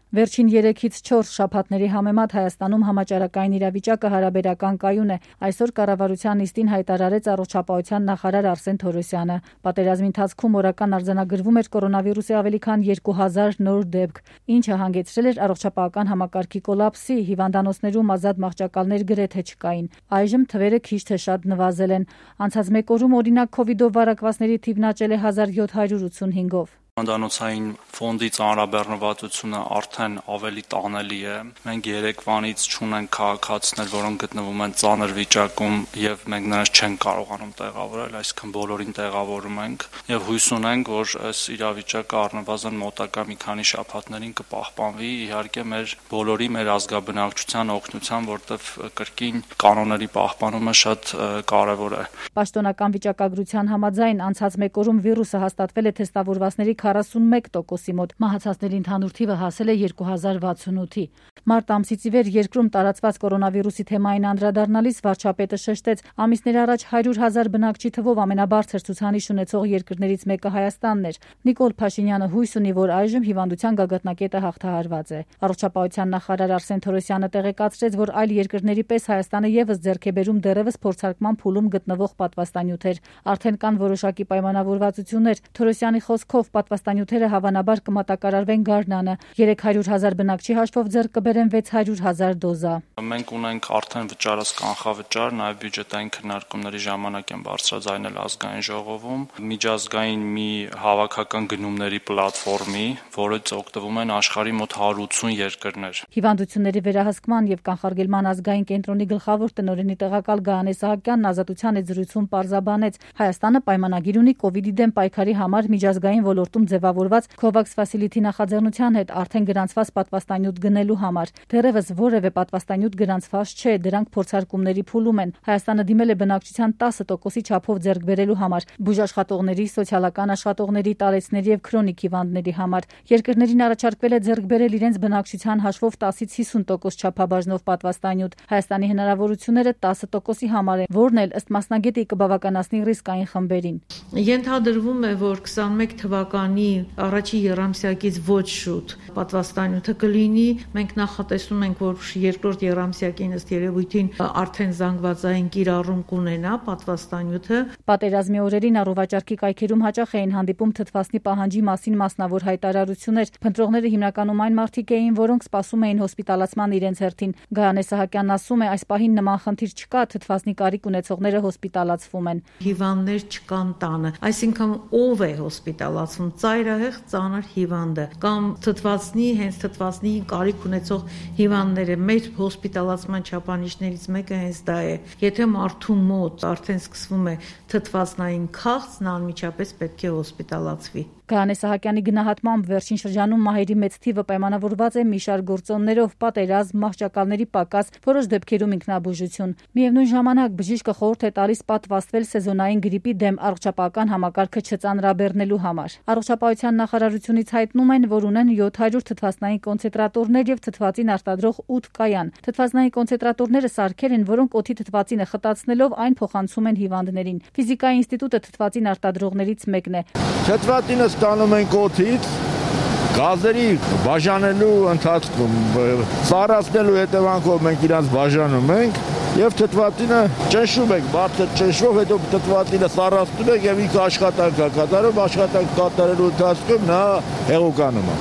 Վերջին 3-ից 4 շաբաթների համեմատ Հայաստանում համաճարակային իրավիճակը հարաբերական կայուն է։ Այսօր կառավարության նիստին հայտարարեց առողջապահության նախարար Արսեն Թորոսյանը։ Պատերազմի ընթացքում օրական արձանագրվում էր կորոնավիրուսի ավելի քան 2000 նոր դեպք, ինչը հանգեցրել էր առողջապահական համակարգի կոլապսի, հիվանդանոցներում ազատ մահճակալներ գրեթե չկային։ Այժմ թվերը քիչ թե շատ նվազել են։ Անցած մեկ օրում օրինակ Covid-ով վարակվածների թիվն աճել է 1785-ով։ Հիվանդանոցային ֆոնդի ծանրաբեռնվածությունը արդեն ավելի տանելի է։ Մենք երեկվանից չունենք քաղաքացիներ, որոնք գտնվում են ծանր վիճակում եւ մենք նրանց չենք կարողանում տեղավորել, այսինքն բոլորին տեղավորում ենք եւ հույս ունենք, որ այս իրավիճակը առնվազն մոտակա մի քանի շաբաթներին կպահպանվի, իհարկե մեր բոլորի, մեր ազգաբնակչության օգնությամբ, որտեղ կրկին կանոնների պահպանումը շատ կարեւոր է։ Պաշտոնական վիճակագրության համաձայն անցած մեկ օրում վիրուսը հաստատվել է թեստավորվածների 41%-ի մոտ, մահացածների ընդհանուր թիվը հասել է 2068-ի։ Մարտ ամսից ի վեր երկրում տարածված կորոնավիրուսի թեմային անդրադառնալիս վարչապետը շեշտեց, ամիսներ առաջ 100,000 բնակչի թվով ամենաբարձր ցուցանիշ ունեցող երկրներից մեկը Հայաստանն էր։ Նիկոլ Փաշինյանը հույս ունի, որ այժմ հիվանդության գագաթնակետը հաղթահարված է։ Առողջապահության նախարար Արսեն Թորոսյանը տեղեկացրեց, որ այլ երկրների պես Հայաստանը եւս ձեռք է բերում դեռևս փորձարկման փուլում գտնվող պատվաստանյութեր։ Արդեն կան որոշակի պայմանավորվածություններ։ Թորոսյանի խոսքով պատվաստանյութերը հավանաբար կմատակարարվեն գարնանը։ 300,000 բնակչի հաշվով ձեռք կբերեն 600,000 դոզա։ Մենք ունենք արդեն վճարած կանխավճար, նաև բյուջետային քննարկումների ժամանակ են բարձրաձայնել ազգային ժողովում միջազգային մի հավաքական գնումների պլատֆորմի, որից օգտվում են աշխարհի մոտ 180 երկրներ։ Հիվանդությունների վերահսկման եւ կանխարգելման ազգային կենտրոնի գլխավոր տնօրենի տեղակալ Գայանե Սահակյանն Ազատության հետ զրույցում պարզաբանեց, Հայաստանը պայմանագիր ունի կոവിഡ്ի դեմ պայքարի համար միջազգային ոլորտում ձևավորված COVAX Facility նախաձեռնության հետ արդեն գրանցված պատվաստանյութ գնելու համար։ Դեռևս որևէ պատվաստանյութ գրանցված չէ, դրանք փորձարկումների փուլում են։ Հայաստանը դիմել է բնակչության 10%-ի չափով ձեռք բերելու համար բուժաշխատողների, սոցիալական աշխատողների, տարեցների եւ քրոնիկ հիվանդների համար։ Երկրներին առաջարկվել է ձեռք բերել իրենց բնակչության հաշվով 10-ից 50% չափաբաժնով պատվաստանյութ։ Հայաստանի հնարավորությունները 10%-ի համար են, որն էլ ըստ մասնագետի կբավականացնի ռիսկային խմբերին։ Ենթադրվում է, որ 21 թվականի առաջի եռամսյակից ոչ շուտ պատվաստանյութը կլինի։ Մենք նախատեսում ենք, որ երկրորդ եռամսյակին ըստ երևույթին արդեն զանգվածային կիրառում կունենա պատվաստանյութը։ Պատերազմի օրերին առողջարքի կայքերում հաճախ էին հանդիպում թթվասնի պահանջի մասին մասնավոր հայտարարություններ։ Փնտրողները հիմնականում այն մարդիկ էին, որոնք սպասում էին հոսպիտալացման իրենց հերթին։ Գայանե Սահակյանն ասում է, այս պահին նման խնդիր չկա, թթվասնի կարիք ունեցողները հոսպիտալացվում են։ Հիվանդներ չկան տանը, այսինքն ով է հոսպիտալացվում, ծայրահեղ ծանր հիվանդը կամ հենց թթվասնի կարիք ունեցող հիվանդները։ Մեր հոսպիտալացման չափանիշներից մեկը հենց դա է։ Եթե մարդու մոտ արդեն սկսվում է թթվասնային քաղց, նա անմիջապես պետք է հոսպիտալացվի։ Գայանե Սահակյանի գնահատմամբ վերջին շրջանում մահերի մեծ թիվը պայմանավորված է մի շարք գործոններով՝ պատերազմ, մահճակալների պակաս, որոշ դեպքերում ինքնաբուժություն։ Միևնույն ժամանակ բժիշկը խորհուրդ է տալիս պատվաստվել սեզոնային գրիպի դեմ առողջապահական համակարգը չծանրաբեռնելու համար։ Առողջապահության նախարարությունից հայտնում են, որ ունեն 700 թթվասնային կոնցենտրատորներ եւ թթվածին արտադրող 8 կայան։ Թթվասնային կոնցենտրատորները սարքեր են, որոնք օդի թթվածինը խտացնելով այն փոխանցում են հիվանդներին։ Ֆիզիկայի ինստիտուտը թթվածին արտադրողներից մեկն է։ Թթվածինը ստանում ենք օդից, գազերի բաժանելու ընթացքում, սառացնելու հետևանքով մենք իրանց բաժանում ենք եւ թթվածինը ճնշում ենք, բարձր ճնշվող, հետո թթվածինը սառացնում ենք եւ ինքը աշխատանք է կատարում, աշխատանք կատարելու ընթացքում նա հեղուկանում է։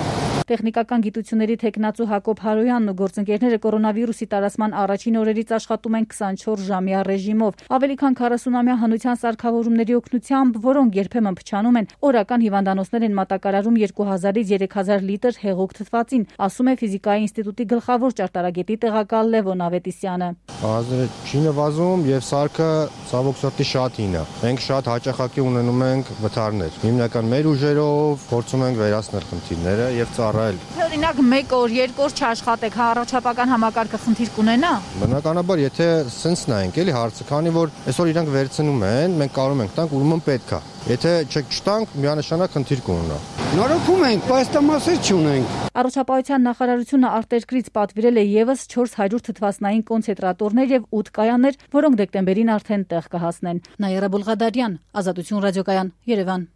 Տեխնիկական գիտությունների թեկնածու Հակոբ Հարոյանն ու գործընկերները կորոնավիրուսի տարածման առաջին օրերից աշխատում են 24-ժամյա ռեժիմով, ավելի քան 40-ամյա հնության սարքավորումների օգնությամբ, որոնք երբեմն փչանում են, օրական հիվանդանոցներ են մատակարարում 2000-ից 3000 լիտր հեղուկ թթվածին, ասում է Ֆիզիկայի ինստիտուտի գլխավոր ճարտարագետի տեղակալ Լևոն Ավետիսյանը։ Գազերը չի նվազում եւ սարքը ցավոք սրտի շատ հին է։ Մենք շատ հաճախակի ունենում ենք վթարներ։ Հիմնական մեր ուժերով փորձում ենք վերացնել խնդիրները եւ ծառայել։ Օրինակ 1 օր, 2 օր չաշխատեք, առողջապահական համակարգը խնդիր կունենա։ Բնականաբար, եթե սենց նայենք, էլի հարցը, քանի որ այսօր իրանք վերցնում են, մենք կարող ենք տանք, ուրեմն պետք է։ Եթե չտանք, միանշանակ խնդիր կունենա։ Նորոգում ենք, պաստամասեր չունենք։ Առողջապահության նախարարությունը արտերկրից պատվիրել է եւս 400 թթվասնային կոնցենտրատորներ եւ 8 կայաններ, որոնք դեկտեմբերին արդեն տեղ կհասնեն։ Նաիրա Բուլղադարյան, Ազատություն ռադիոկայան, Երևան։